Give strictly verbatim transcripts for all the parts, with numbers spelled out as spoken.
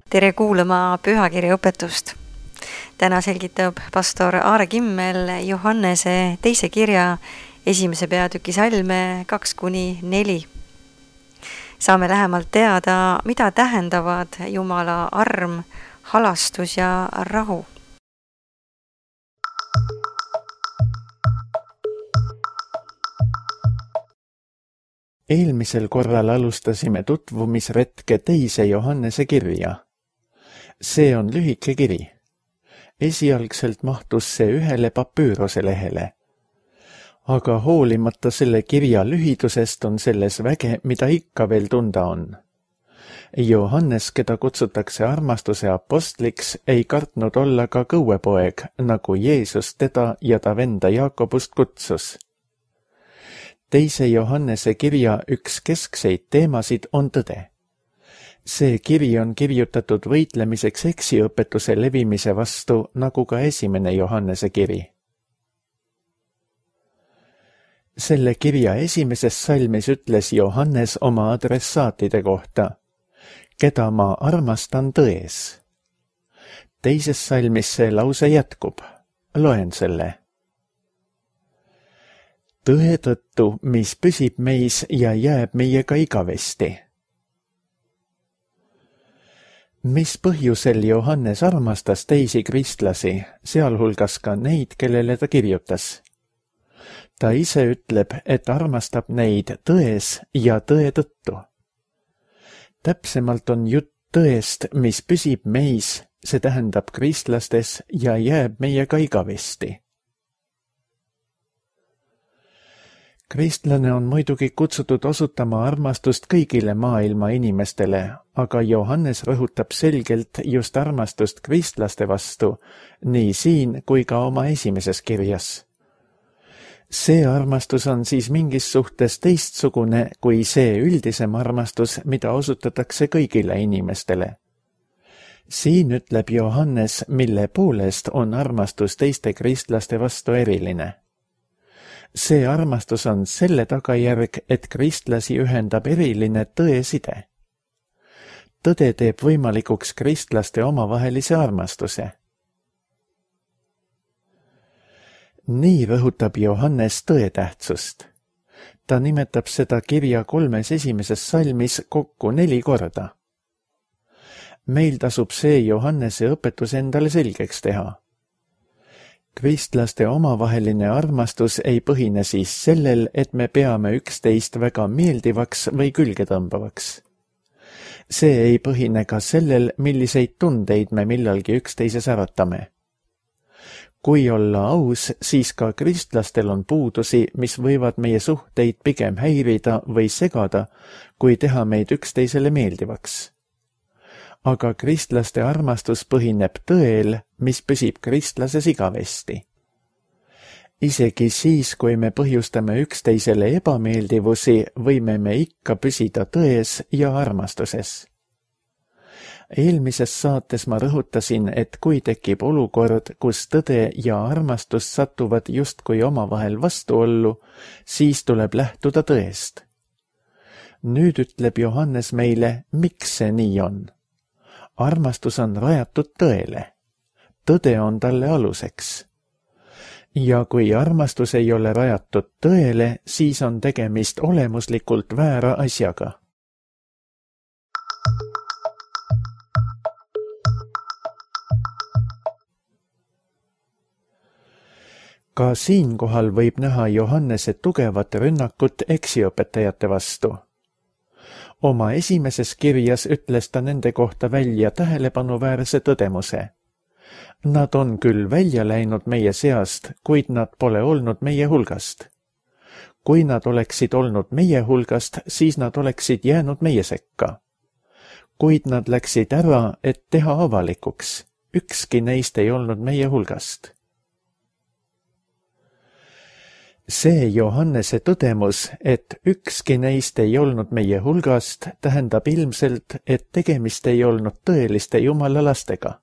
Tere kuulama pühakirja õpetust. Täna selgitab pastor Aare Kimmel Johannese teise kirja esimese peatüki salme kaks kuni neli. Saame lähemalt teada, mida tähendavad Jumala arm, halastus ja rahu. Eelmisel korral alustasime tutvumisretke teise Johannese kirja. See on lühike kiri. Esialgselt mahtus see ühele papüürose lehele. Aga hoolimata selle kirja lühidusest on selles väge, mida ikka veel tunda on. Johannes, keda kutsutakse armastuse apostliks, ei kartnud olla ka kõuepoeg, nagu Jeesus teda ja ta venda Jaakobust kutsus. Teise Johannese kirja üks keskseid teemasid on tõde. See kiri on kirjutatud võitlemiseks eksiõpetuse levimise vastu, nagu ka esimene Johannese kiri. Selle kirja esimeses salmis ütles Johannes oma adressaatide kohta, keda ma armastan tões. Teises salmis see lause jätkub. Loen selle. Tõe tõttu, mis püsib meis ja jääb meiega igavesti. Mis põhjusel Johannes armastas teisi kristlasi, sealhulgas ka neid, kellele ta kirjutas? Ta ise ütleb, et armastab neid tões ja tõe tõttu. Täpsemalt on jutt tõest, mis püsib meis, see tähendab kristlastes ja jääb meiega igavesti. Kristlane on muidugi kutsutud osutama armastust kõigile maailma inimestele, aga Johannes rõhutab selgelt just armastust kristlaste vastu, nii siin kui ka oma esimeses kirjas. See armastus on siis mingis suhtes teistsugune kui see üldisem armastus, mida osutatakse kõigile inimestele. Siin ütleb Johannes, mille poolest on armastus teiste kristlaste vastu eriline. See armastus on selle tagajärg, et kristlasi ühendab eriline tõeside. Tõde teeb võimalikuks kristlaste omavahelise armastuse. Nii rõhutab Johannes tõe tähtsust. Ta nimetab seda kirja kolmes esimeses salmis kokku neli korda. Meil tasub see Johannese õpetus endale selgeks teha. Kristlaste omavaheline armastus ei põhine siis sellel, et me peame üksteist väga meeldivaks või külgetõmbavaks. See ei põhine ka sellel, milliseid tundeid me millalgi üksteises äratame. Kui olla aus, siis ka kristlastel on puudusi, mis võivad meie suhteid pigem häirida või segada, kui teha meid üksteisele meeldivaks. Aga kristlaste armastus põhineb tõel, mis püsib kristlases igavesti. Isegi siis, kui me põhjustame üksteisele ebameeldivusi, võime me ikka püsida tões ja armastuses. Eelmises saates ma rõhutasin, et kui tekib olukord, kus tõde ja armastus satuvad justkui omavahel vastuollu, siis tuleb lähtuda tõest. Nüüd ütleb Johannes meile, miks see nii on. Armastus on rajatud tõele. Tõde on talle aluseks. Ja kui armastus ei ole rajatud tõele, siis on tegemist olemuslikult väära asjaga. Ka siinkohal võib näha Johannese tugevat rünnakut eksiõpetajate vastu. Oma esimeses kirjas ütles ta nende kohta välja tähelepanuväärse tõdemuse. Nad on küll välja läinud meie seast, kuid nad pole olnud meie hulgast. Kui nad oleksid olnud meie hulgast, siis nad oleksid jäänud meie sekka. Kuid nad läksid ära, et teha avalikuks. Ükski neist ei olnud meie hulgast. See Johannese tõdemus, et ükski neist ei olnud meie hulgast, tähendab ilmselt, et tegemist ei olnud tõeliste Jumala lastega.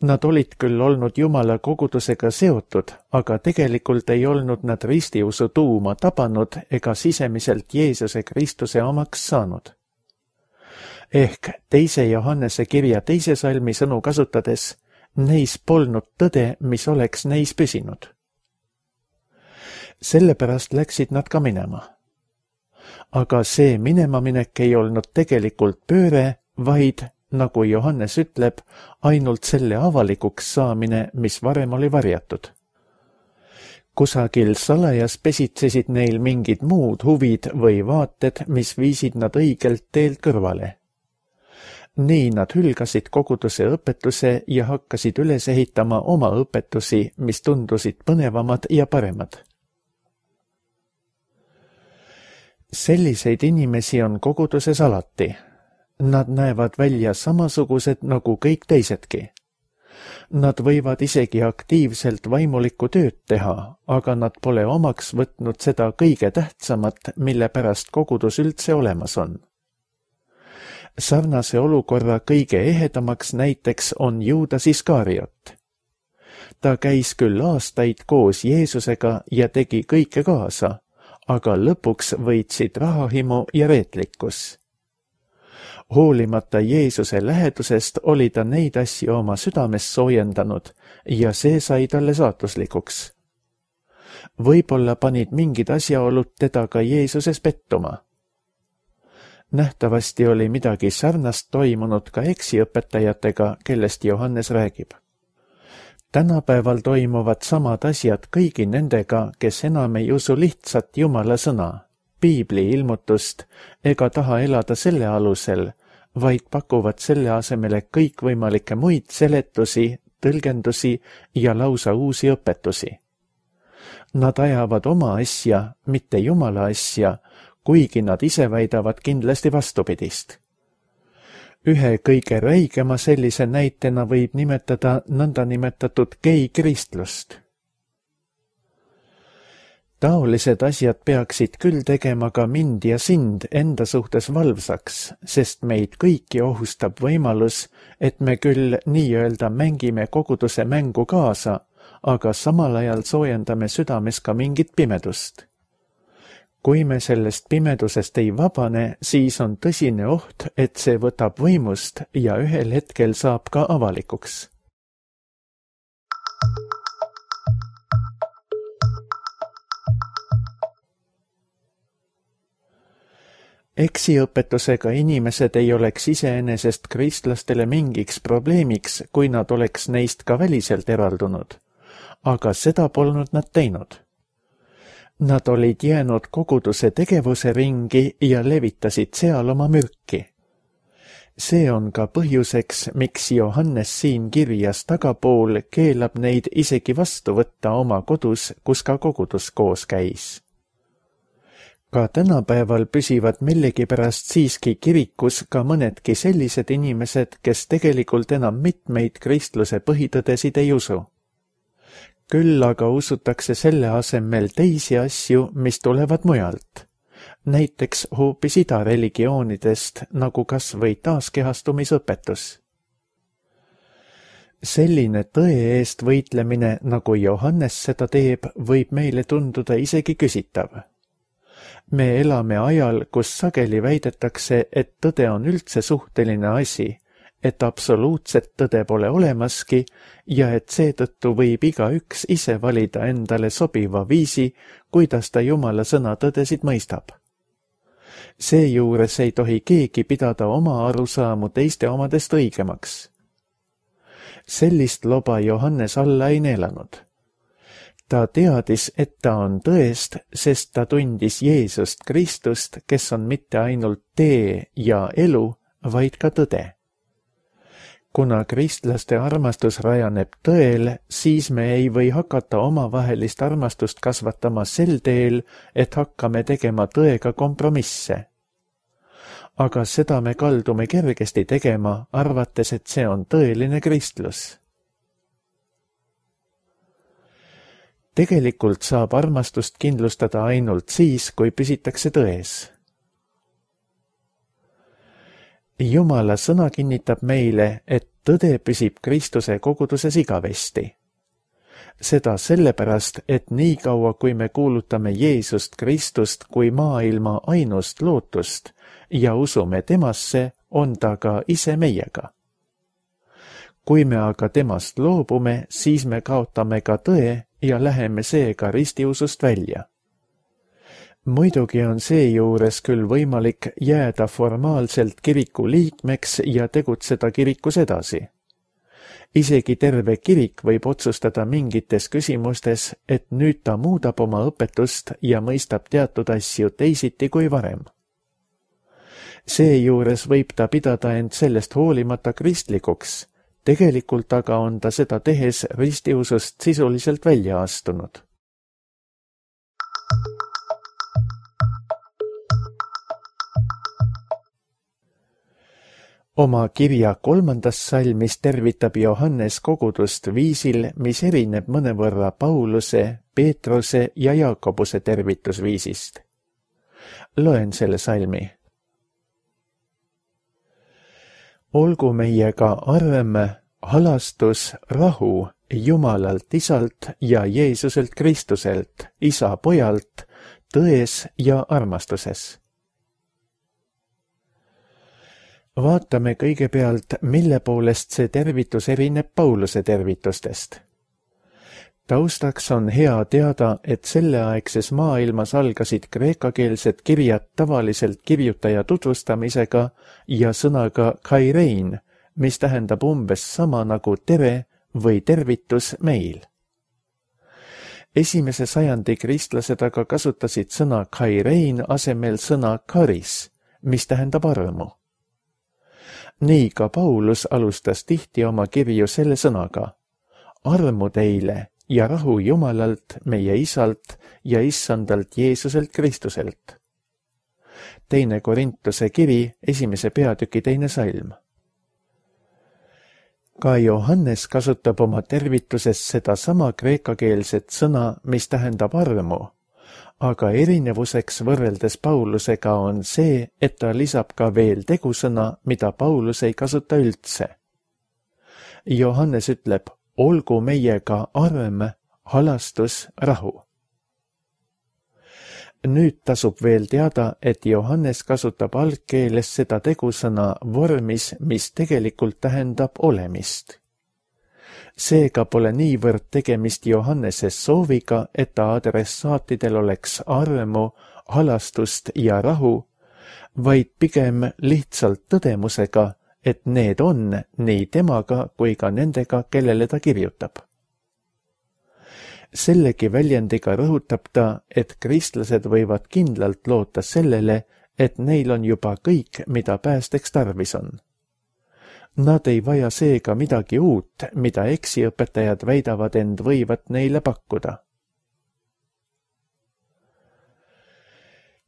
Nad olid küll olnud Jumala kogudusega seotud, aga tegelikult ei olnud nad ristiusu tuuma tabanud ega sisemiselt Jeesuse Kristuse omaks saanud. ehk teise Johannese kirja teise salmi sõnu kasutades, neis polnud tõde, mis oleks neis püsinud. Sellepärast läksid nad ka minema. Aga see minemaminek ei olnud tegelikult pööre, vaid, nagu Johannes ütleb, ainult selle avalikuks saamine, mis varem oli varjatud. Kusagil salajas pesitsesid neil mingid muud huvid või vaated, mis viisid nad õigelt teelt kõrvale. Nii nad hülgasid koguduse õpetuse ja hakkasid üles ehitama oma õpetusi, mis tundusid põnevamad ja paremad. Selliseid inimesi on koguduses alati. Nad näevad välja samasugused nagu kõik teisedki. Nad võivad isegi aktiivselt vaimulikku tööd teha, aga nad pole omaks võtnud seda kõige tähtsamat, mille pärast kogudus üldse olemas on. Sarnase olukorra kõige ehedamaks näiteks on Juudas Iskariot. Ta käis küll aastaid koos Jeesusega ja tegi kõike kaasa, aga lõpuks võitsid rahahimu ja reetlikkus. Hoolimata Jeesuse lähedusest oli ta neid asju oma südames soojendanud ja see sai talle saatuslikuks. Võib-olla panid mingid asjaolud teda ka Jeesuses pettuma. Nähtavasti oli midagi sarnast toimunud ka eksiõpetajatega, kellest Johannes räägib. Tänapäeval toimuvad samad asjad kõigi nendega, kes enam ei usu lihtsat Jumala sõna, piibli ilmutust ega taha elada selle alusel, vaid pakuvad selle asemele kõikvõimalikke muid seletusi, tõlgendusi ja lausa uusi õpetusi. Nad ajavad oma asja, mitte Jumala asja, kuigi nad ise väidavad kindlasti vastupidist. Ühe kõige räigema sellise näitena võib nimetada nõndanimetatud gei-kristlust. Taolised asjad peaksid küll tegema ka mind ja sind enda suhtes valvsaks, sest meid kõiki ohustab võimalus, et me küll nii-öelda mängime koguduse mängu kaasa, aga samal ajal soojendame südames ka mingit pimedust. Kui me sellest pimedusest ei vabane, siis on tõsine oht, et see võtab võimust ja ühel hetkel saab ka avalikuks. Eksiõpetusega inimesed ei oleks iseenesest kristlastele mingiks probleemiks, kui nad oleks neist ka väliselt eraldunud, aga seda polnud nad teinud. Nad olid jäänud koguduse tegevuse ringi ja levitasid seal oma mürki. See on ka põhjuseks, miks Johannes siin kirjas tagapool keelab neid isegi vastu võtta oma kodus, kus ka kogudus koos käis. Ka tänapäeval püsivad millegipärast siiski kirikus ka mõnedki sellised inimesed, kes tegelikult enam mitmeid kristluse põhitõdesid ei usu. Küll aga usutakse selle asemel teisi asju, mis tulevad mujalt. Näiteks hoopis idareligioonidest, nagu kas või taaskehastumisõpetus. Selline tõe eest võitlemine, nagu Johannes seda teeb, võib meile tunduda isegi küsitav. Me elame ajal, kus sageli väidetakse, et tõde on üldse suhteline asi, et absoluutset tõde pole olemaski ja et seetõttu võib igaüks ise valida endale sobiva viisi, kuidas ta Jumala sõna tõdesid mõistab. Seejuures ei tohi keegi pidada oma arusaamu teiste omadest õigemaks. Sellist loba Johannes alla ei neelanud. Ta teadis, et ta on tõest, sest ta tundis Jeesust Kristust, kes on mitte ainult tee ja elu, vaid ka tõde. Kuna kristlaste armastus rajaneb tõel, siis me ei või hakata omavahelist armastust kasvatama sel teel, et hakkame tegema tõega kompromisse. Aga seda me kaldume kergesti tegema, arvates, et see on tõeline kristlus. Tegelikult saab armastust kindlustada ainult siis, kui püsitakse tões. Jumala sõna kinnitab meile, et tõde püsib Kristuse koguduses igavesti. Seda sellepärast, et nii kaua, kui me kuulutame Jeesust Kristust kui maailma ainust lootust ja usume temasse, on ta ka ise meiega. Kui me aga temast loobume, siis me kaotame ka tõe ja läheme seega ristiusust välja. Muidugi on seejuures küll võimalik jääda formaalselt kiriku liikmeks ja tegutseda kirikus edasi. Isegi terve kirik võib otsustada mingites küsimustes, et nüüd ta muudab oma õpetust ja mõistab teatud asju teisiti kui varem. Seejuures võib ta pidada end sellest hoolimata kristlikuks, tegelikult aga on ta seda tehes ristiusust sisuliselt välja astunud. Oma kirja kolmandas salmis tervitab Johannes kogudust viisil, mis erineb mõnevõrra Pauluse, Peetruse ja Jaakobuse tervitusviisist. Loen selle salmi. Olgu meiega arm, halastus, rahu Jumalalt Isalt ja Jeesuselt Kristuselt, Isa Pojalt, tões ja armastuses. Vaatame kõigepealt, mille poolest see tervitus erineb Pauluse tervitustest. Taustaks on hea teada, et selleaegses maailmas algasid kreekakeelsed kirjad tavaliselt kirjutaja tutvustamisega ja sõnaga kairein, mis tähendab umbes sama nagu tere või tervitus meil. Esimese sajandi kristlased aga kasutasid sõna kairein asemel sõna karis, mis tähendab armu. Nii ka Paulus alustas tihti oma kirju selle sõnaga: armu teile ja rahu Jumalalt, meie Isalt ja Issandalt Jeesuselt Kristuselt. Teine Korintuse kiri, esimese peatüki teine salm. Ka Johannes kasutab oma tervituses seda sama kreekakeelset sõna, mis tähendab armu, aga erinevuseks võrreldes Paulusega on see, et ta lisab ka veel tegusõna, mida Paulus ei kasuta üldse. Johannes ütleb: olgu meiega arm, halastus, rahu. Nüüd tasub veel teada, et Johannes kasutab algkeeles seda tegusõna vormis, mis tegelikult tähendab olemist. Seega pole niivõrd tegemist Johannese sooviga, et ta adressaatidel oleks armu, halastust ja rahu, vaid pigem lihtsalt tõdemusega, et need on nii temaga kui ka nendega, kellele ta kirjutab. Sellegi väljendiga rõhutab ta, et kristlased võivad kindlalt loota sellele, et neil on juba kõik, mida päästeks tarvis on. Nad ei vaja seega midagi uut, mida eksiõpetajad väidavad end võivat neile pakkuda.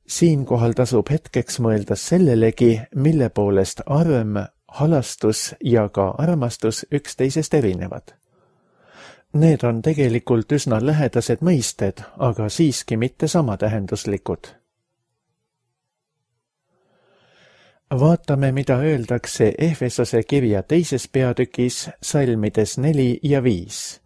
Siinkohal tasub hetkeks mõelda sellelegi, mille poolest arm, halastus ja ka armastus üksteisest erinevad. Need on tegelikult üsna lähedased mõisted, aga siiski mitte samatähenduslikud. Vaatame, mida öeldakse Efesose kirja teises peatükis salmides neli ja viis.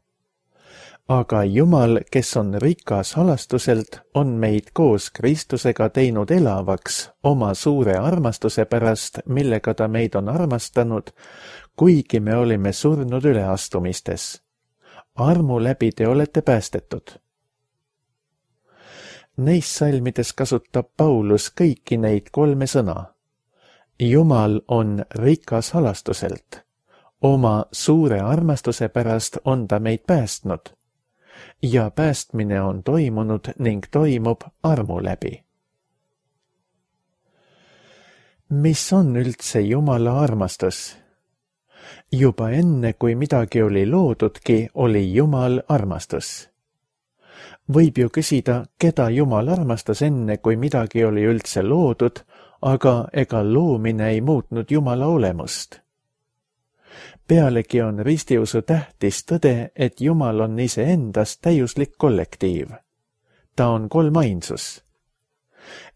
Aga Jumal, kes on rikas halastuselt, on meid koos Kristusega teinud elavaks oma suure armastuse pärast, millega ta meid on armastanud, kuigi me olime surnud üleastumistes. Armu läbi te olete päästetud. Neis salmides kasutab Paulus kõiki neid kolme sõna. Jumal on rikas halastuselt. Oma suure armastuse pärast on ta meid päästnud. Ja päästmine on toimunud ning toimub armu läbi. Mis on üldse Jumala armastus? Juba enne, kui midagi oli loodudki, oli Jumal armastus. Võib ju küsida, keda Jumal armastas enne, kui midagi oli üldse loodud, aga ega loomine ei muutnud Jumala olemust. Pealegi on ristiusu tähtis tõde, et Jumal on iseendas täiuslik kollektiiv. Ta on kolmainsus.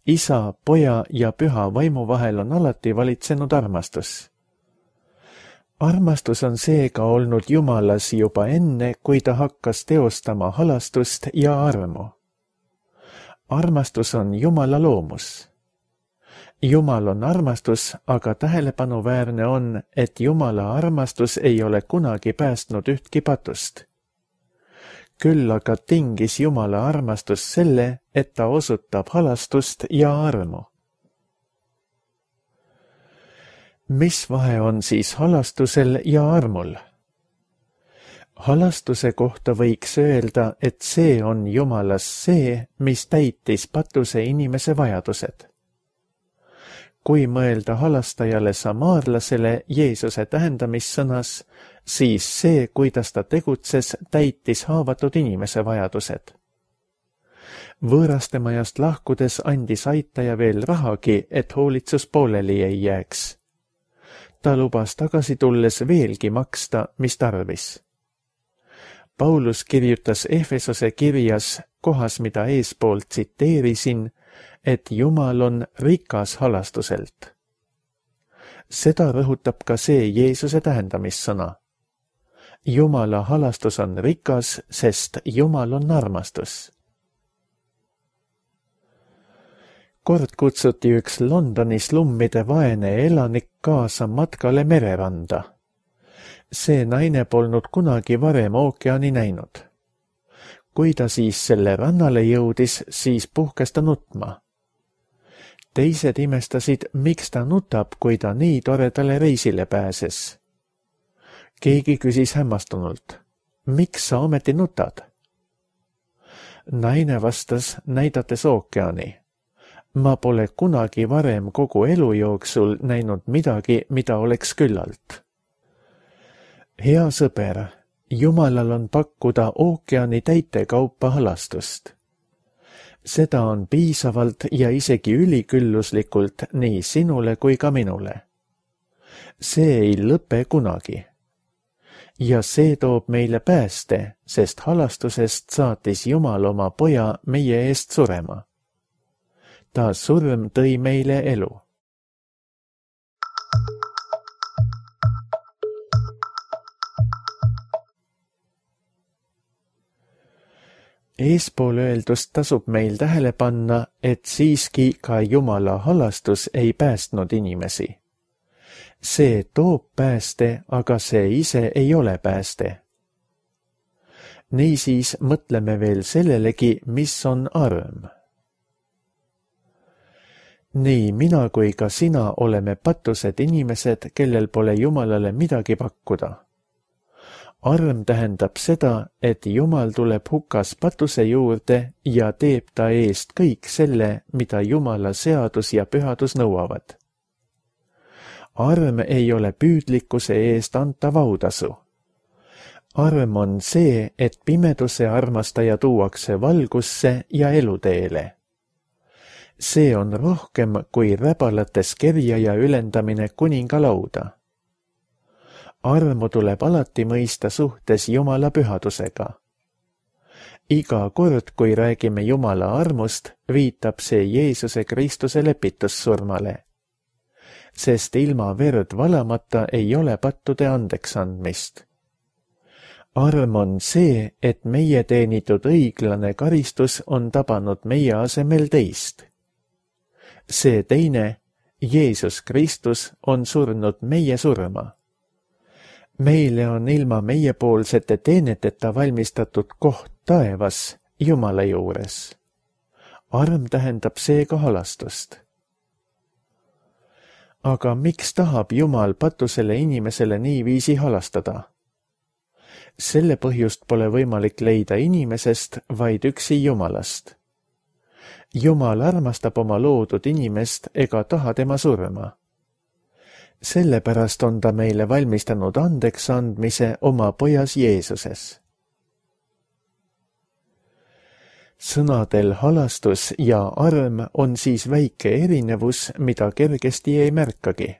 Isa, Poja ja Püha vaimu vahel on alati valitsenud armastus. Armastus on seega olnud Jumalas juba enne, kui ta hakkas teostama halastust ja armu. Armastus on Jumala loomus. Jumal on armastus, aga tähelepanuväärne on, et Jumala armastus ei ole kunagi päästnud ühtki patust. Küll aga tingis Jumala armastus selle, et ta osutab halastust ja armu. Mis vahe on siis halastusel ja armul? Halastuse kohta võiks öelda, et see on Jumalas see, mis täitis patuse inimese vajadused. Kui mõelda halastajale samaarlasele Jeesuse tähendamissõnas, siis see, kuidas ta tegutses, täitis haavatud inimese vajadused. Võõrastemajast lahkudes andis aitaja veel rahagi, et hoolitsus pooleli ei jääks. Ta lubas tagasi tulles veelgi maksta, mis tarvis. Paulus kirjutas Efesose kirjas, kohas mida eespoolt tsiteerisin, et Jumal on rikas halastuselt. Seda rõhutab ka see Jeesuse tähendamissõna. Jumala halastus on rikas, sest Jumal on armastus. Kord kutsuti üks Londoni slummide vaene elanik kaasa matkale mereranda. See naine polnud kunagi varem ookeani näinud. Kui ta siis selle rannale jõudis, siis puhkes ta nutma. Teised imestasid, miks ta nutab, kui ta nii toredale reisile pääses. Keegi küsis hämmastunult, miks sa ometi nutad? Naine vastas, näidates ookeani. Ma pole kunagi varem kogu elu jooksul näinud midagi, mida oleks küllalt. Hea sõber, Jumalal on pakkuda ookeani täitekaupa halastust. Seda on piisavalt ja isegi ülikülluslikult nii sinule kui ka minule. See ei lõpe kunagi. Ja see toob meile pääste, sest halastusest saatis Jumal oma poja meie eest surema. Ta surm tõi meile elu. Eespool öeldust tasub meil tähele panna, et siiski ka Jumala halastus ei päästnud inimesi. See toob pääste, aga see ise ei ole pääste. Niisiis mõtleme veel sellelegi, mis on arm. Nii mina kui ka sina oleme patused inimesed, kellel pole Jumalale midagi pakkuda. Arm tähendab seda, et Jumal tuleb hukas patuse juurde ja teeb ta eest kõik selle, mida Jumala seadus ja pühadus nõuavad. Arm ei ole püüdlikkuse eest antav autasu. Arm on see, et pimeduse armastaja tuuakse valgusse ja eluteele. See on rohkem kui räbalates kerjaja ülendamine kuningalauda. Armu tuleb alati mõista suhtes Jumala pühadusega. Iga kord, kui räägime Jumala armust, viitab see Jeesuse Kristuse lepitussurmale. Sest ilma verd valamata ei ole pattude andeks andmist. Arm on see, et meie teenitud õiglane karistus on tabanud meie asemel teist. See teine, Jeesus Kristus, on surnud meie surma. Meile on ilma meiepoolsete teeneteta valmistatud koht taevas Jumala juures. Arm tähendab seega halastust. Aga miks tahab Jumal patusele inimesele niiviisi halastada? Selle põhjust pole võimalik leida inimesest, vaid üksi Jumalast. Jumal armastab oma loodud inimest ega taha tema surma. Sellepärast on ta meile valmistanud andeks andmise oma pojas Jeesuses. Sõnadel halastus ja arm on siis väike erinevus, mida kergesti ei märkagi.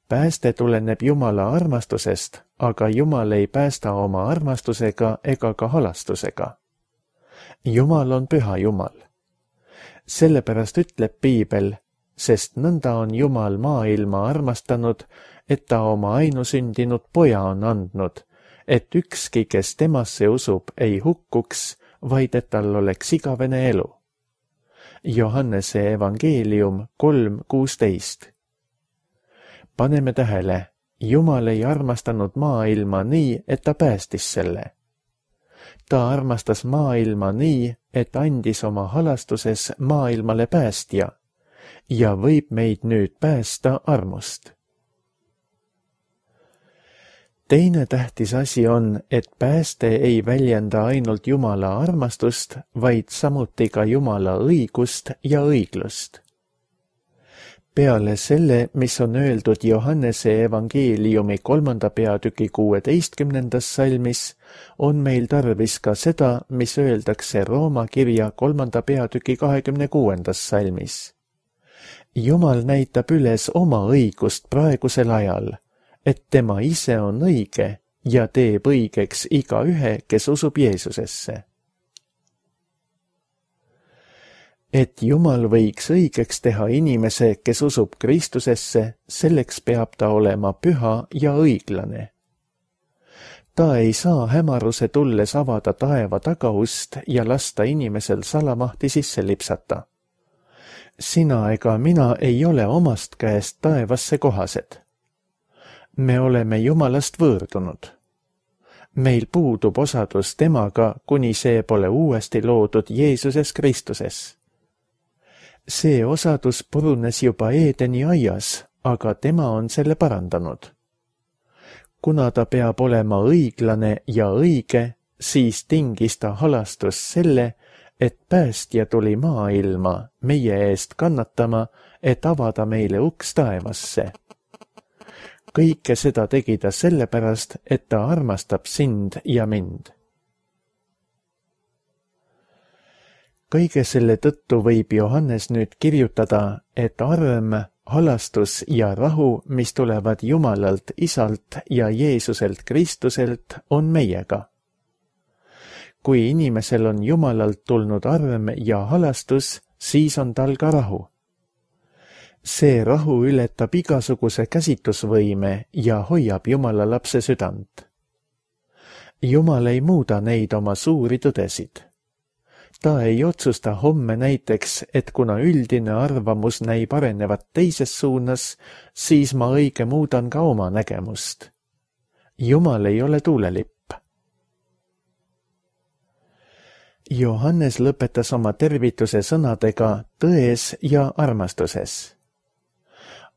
Pääste tuleneb Jumala armastusest, aga Jumal ei päästa oma armastusega ega ka halastusega. Jumal on püha Jumal. Sellepärast ütleb Piibel, sest nõnda on Jumal maailma armastanud, et ta oma ainusündinud poja on andnud, et ükski, kes temasse usub, ei hukkuks, vaid et tal oleks igavene elu. Johannese evangeelium kolm kuusteist. Paneme tähele, Jumal ei armastanud maailma nii, et ta päästis selle. Ta armastas maailma nii, et andis oma halastuses maailmale päästja ja võib meid nüüd päästa armust. Teine tähtis asi on, et pääste ei väljenda ainult Jumala armastust, vaid samuti ka Jumala õigust ja õiglust. Peale selle, mis on öeldud Johannese evangeeliumi kolmanda peatüki kuueteistkümnendas salmis, on meil tarvis ka seda, mis öeldakse Rooma kirja kolmanda peatüki kahekümne kuuendas salmis. Jumal näitab üles oma õigust praegusel ajal, et tema ise on õige ja teeb õigeks igaühe, kes usub Jeesusesse. Et Jumal võiks õigeks teha inimese, kes usub Kristusesse, selleks peab ta olema püha ja õiglane. Ta ei saa hämaruse tulles avada taeva tagaust ja lasta inimesel salamahti sisse lipsata. Sina ega mina ei ole omast käest taevasse kohased. Me oleme Jumalast võõrdunud. Meil puudub osadus temaga, kuni see pole uuesti loodud Jeesuses Kristuses. See osadus purunes juba Eedeni aias, aga tema on selle parandanud. Kuna ta peab olema õiglane ja õige, siis tingis ta halastus selle, et päästja tuli maailma meie eest kannatama, et avada meile uks taevasse. Kõike seda tegi ta sellepärast, et ta armastab sind ja mind. Kõige selle tõttu võib Johannes nüüd kirjutada, et arm, halastus ja rahu, mis tulevad Jumalalt Isalt ja Jeesuselt Kristuselt, on meiega. Kui inimesel on Jumalalt tulnud arm ja halastus, siis on tal ka rahu. See rahu ületab igasuguse käsitusvõime ja hoiab Jumala lapse südant. Jumal ei muuda neid oma suuri tõdesid. Ta ei otsusta homme näiteks, et kuna üldine arvamus näib arenevat teises suunas, siis ma õige muudan ka oma nägemust. Jumal ei ole tuulelipp. Johannes lõpetas oma tervituse sõnadega tões ja armastuses.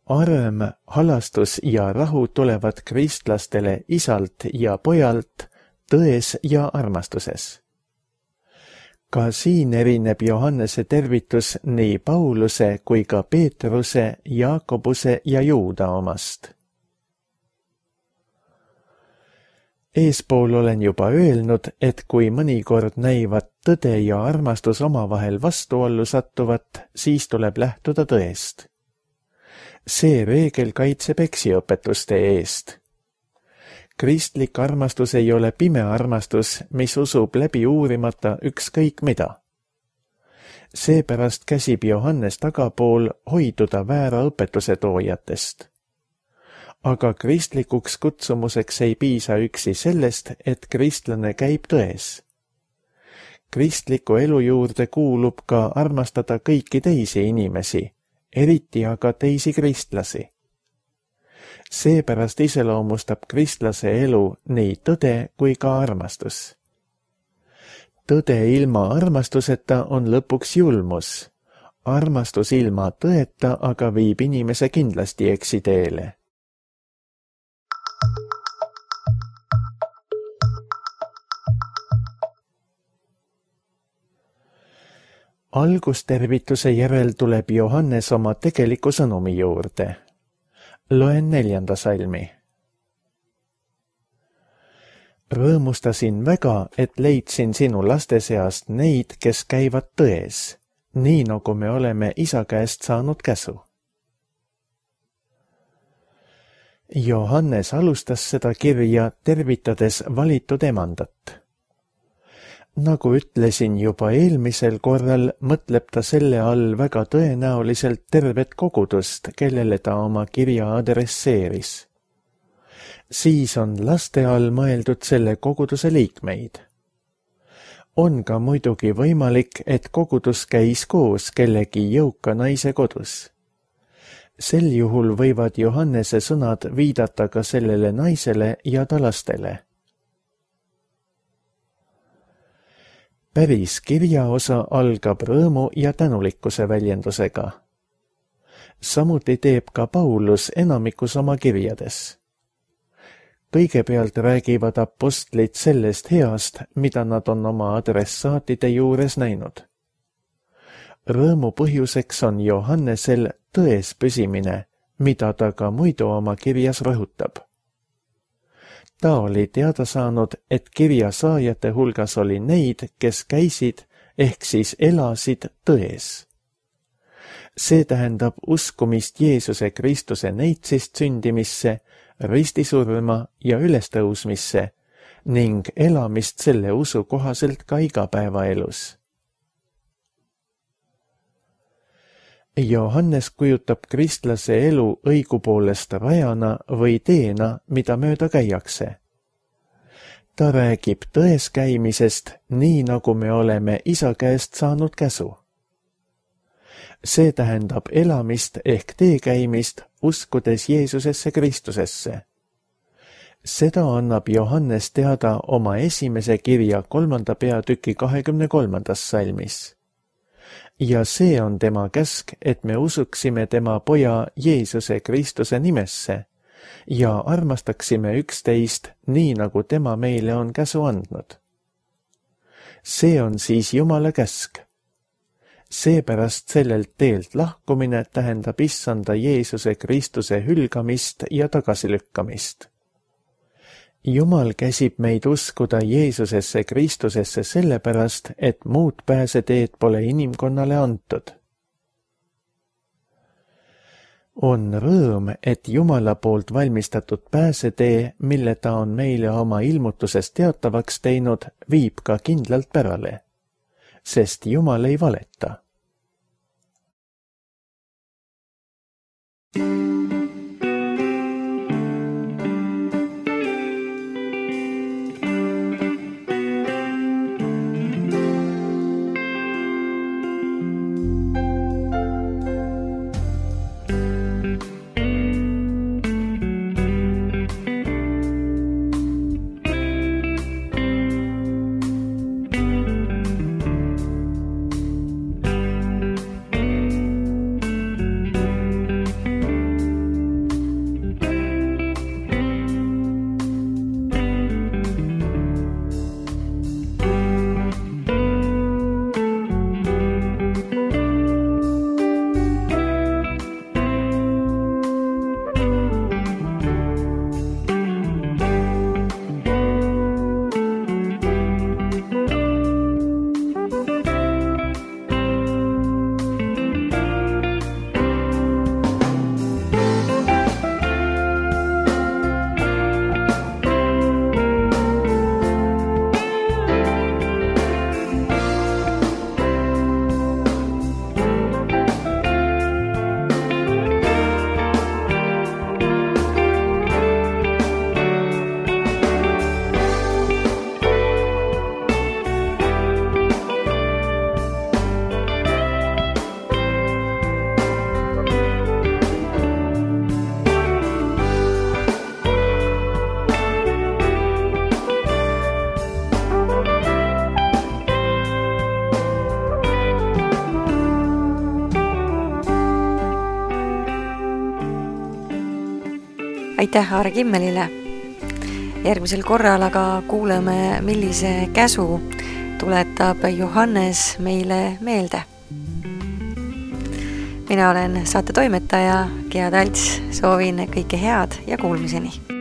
Arm, halastus ja rahu tulevad kristlastele Isalt ja Pojalt tões ja armastuses. Ka siin erineb Johannese tervitus nii Pauluse kui ka Peetruse, Jaakobuse ja Juuda omast. Eespool olen juba öelnud, et kui mõnikord näivad tõde ja armastus omavahel vastuollu sattuvat, siis tuleb lähtuda tõest. See reegel kaitseb eksiõpetuste eest. Kristlik armastus ei ole pime armastus, mis usub läbi uurimata ükskõik mida. Seepärast käsib Johannes tagapool hoiduda väära õpetuse toojatest. Aga kristlikuks kutsumuseks ei piisa üksi sellest, et kristlane käib tões. Kristliku elu juurde kuulub ka armastada kõiki teisi inimesi, eriti aga teisi kristlasi. Seepärast iseloomustab kristlase elu nii tõde kui ka armastus. Tõde ilma armastuseta on lõpuks julmus. Armastus ilma tõeta aga viib inimese kindlasti eksiteele. Algustervituse järel tuleb Johannes oma tegeliku sõnumi juurde. Loen neljanda salmi. Rõõmustasin väga, et leidsin sinu laste seast neid, kes käivad tões, nii nagu me oleme isa käest saanud käsu. Johannes alustas seda kirja tervitades valitud emandat. Nagu ütlesin juba eelmisel korral, mõtleb ta selle all väga tõenäoliselt tervet kogudust, kellele ta oma kirja adresseeris. Siis on laste all mõeldud selle koguduse liikmeid. on ka muidugi võimalik, et kogudus käis koos kellegi jõuka naise kodus. Sel juhul võivad Johannese sõnad viidata ka sellele naisele ja ta lastele. Päris kirjaosa algab rõõmu ja tänulikkuse väljendusega. Samuti teeb ka Paulus enamikus oma kirjades. Kõigepealt räägivad apostlid sellest heast, mida nad on oma adressaatide juures näinud. Rõõmu põhjuseks on Johannesel tões püsimine, mida ta ka muidu oma kirjas rõhutab. Ta oli teada saanud, et kirja saajate hulgas oli neid, kes käisid ehk siis elasid tões. See tähendab uskumist Jeesuse Kristuse neitsist sündimisse, ristisurma ja ülestõusmisse ning elamist selle usu kohaselt ka igapäevaelus. Johannes kujutab kristlase elu õigupoolest rajana või teena, mida mööda käiakse. Ta räägib tões käimisest, nii nagu me oleme isa käest saanud käsu. See tähendab elamist ehk teekäimist, uskudes Jeesusesse Kristusesse. Seda annab Johannes teada oma esimese kirja kolmanda peatüki kahekümne kolmandas salmis. Ja see on tema käsk, et me usuksime tema poja Jeesuse Kristuse nimesse ja armastaksime üksteist nii, nagu tema meile on käsu andnud. See on siis Jumala käsk. Seepärast sellelt teelt lahkumine tähendab issanda Jeesuse Kristuse hülgamist ja tagasilükkamist. Jumal käsib meid uskuda Jeesusesse Kristusesse sellepärast, et muud pääseteed pole inimkonnale antud. On rõõm, et Jumala poolt valmistatud pääsetee, mille ta on meile oma ilmutuses teatavaks teinud, viib ka kindlalt pärale, sest Jumal ei valeta. Aitäh Aare Kimmelile. Järgmisel korral aga kuuleme, millise käsu tuletab Johannes meile meelde. Mina olen saate toimetaja Gea Talts, soovin kõike head ja kuulmiseni.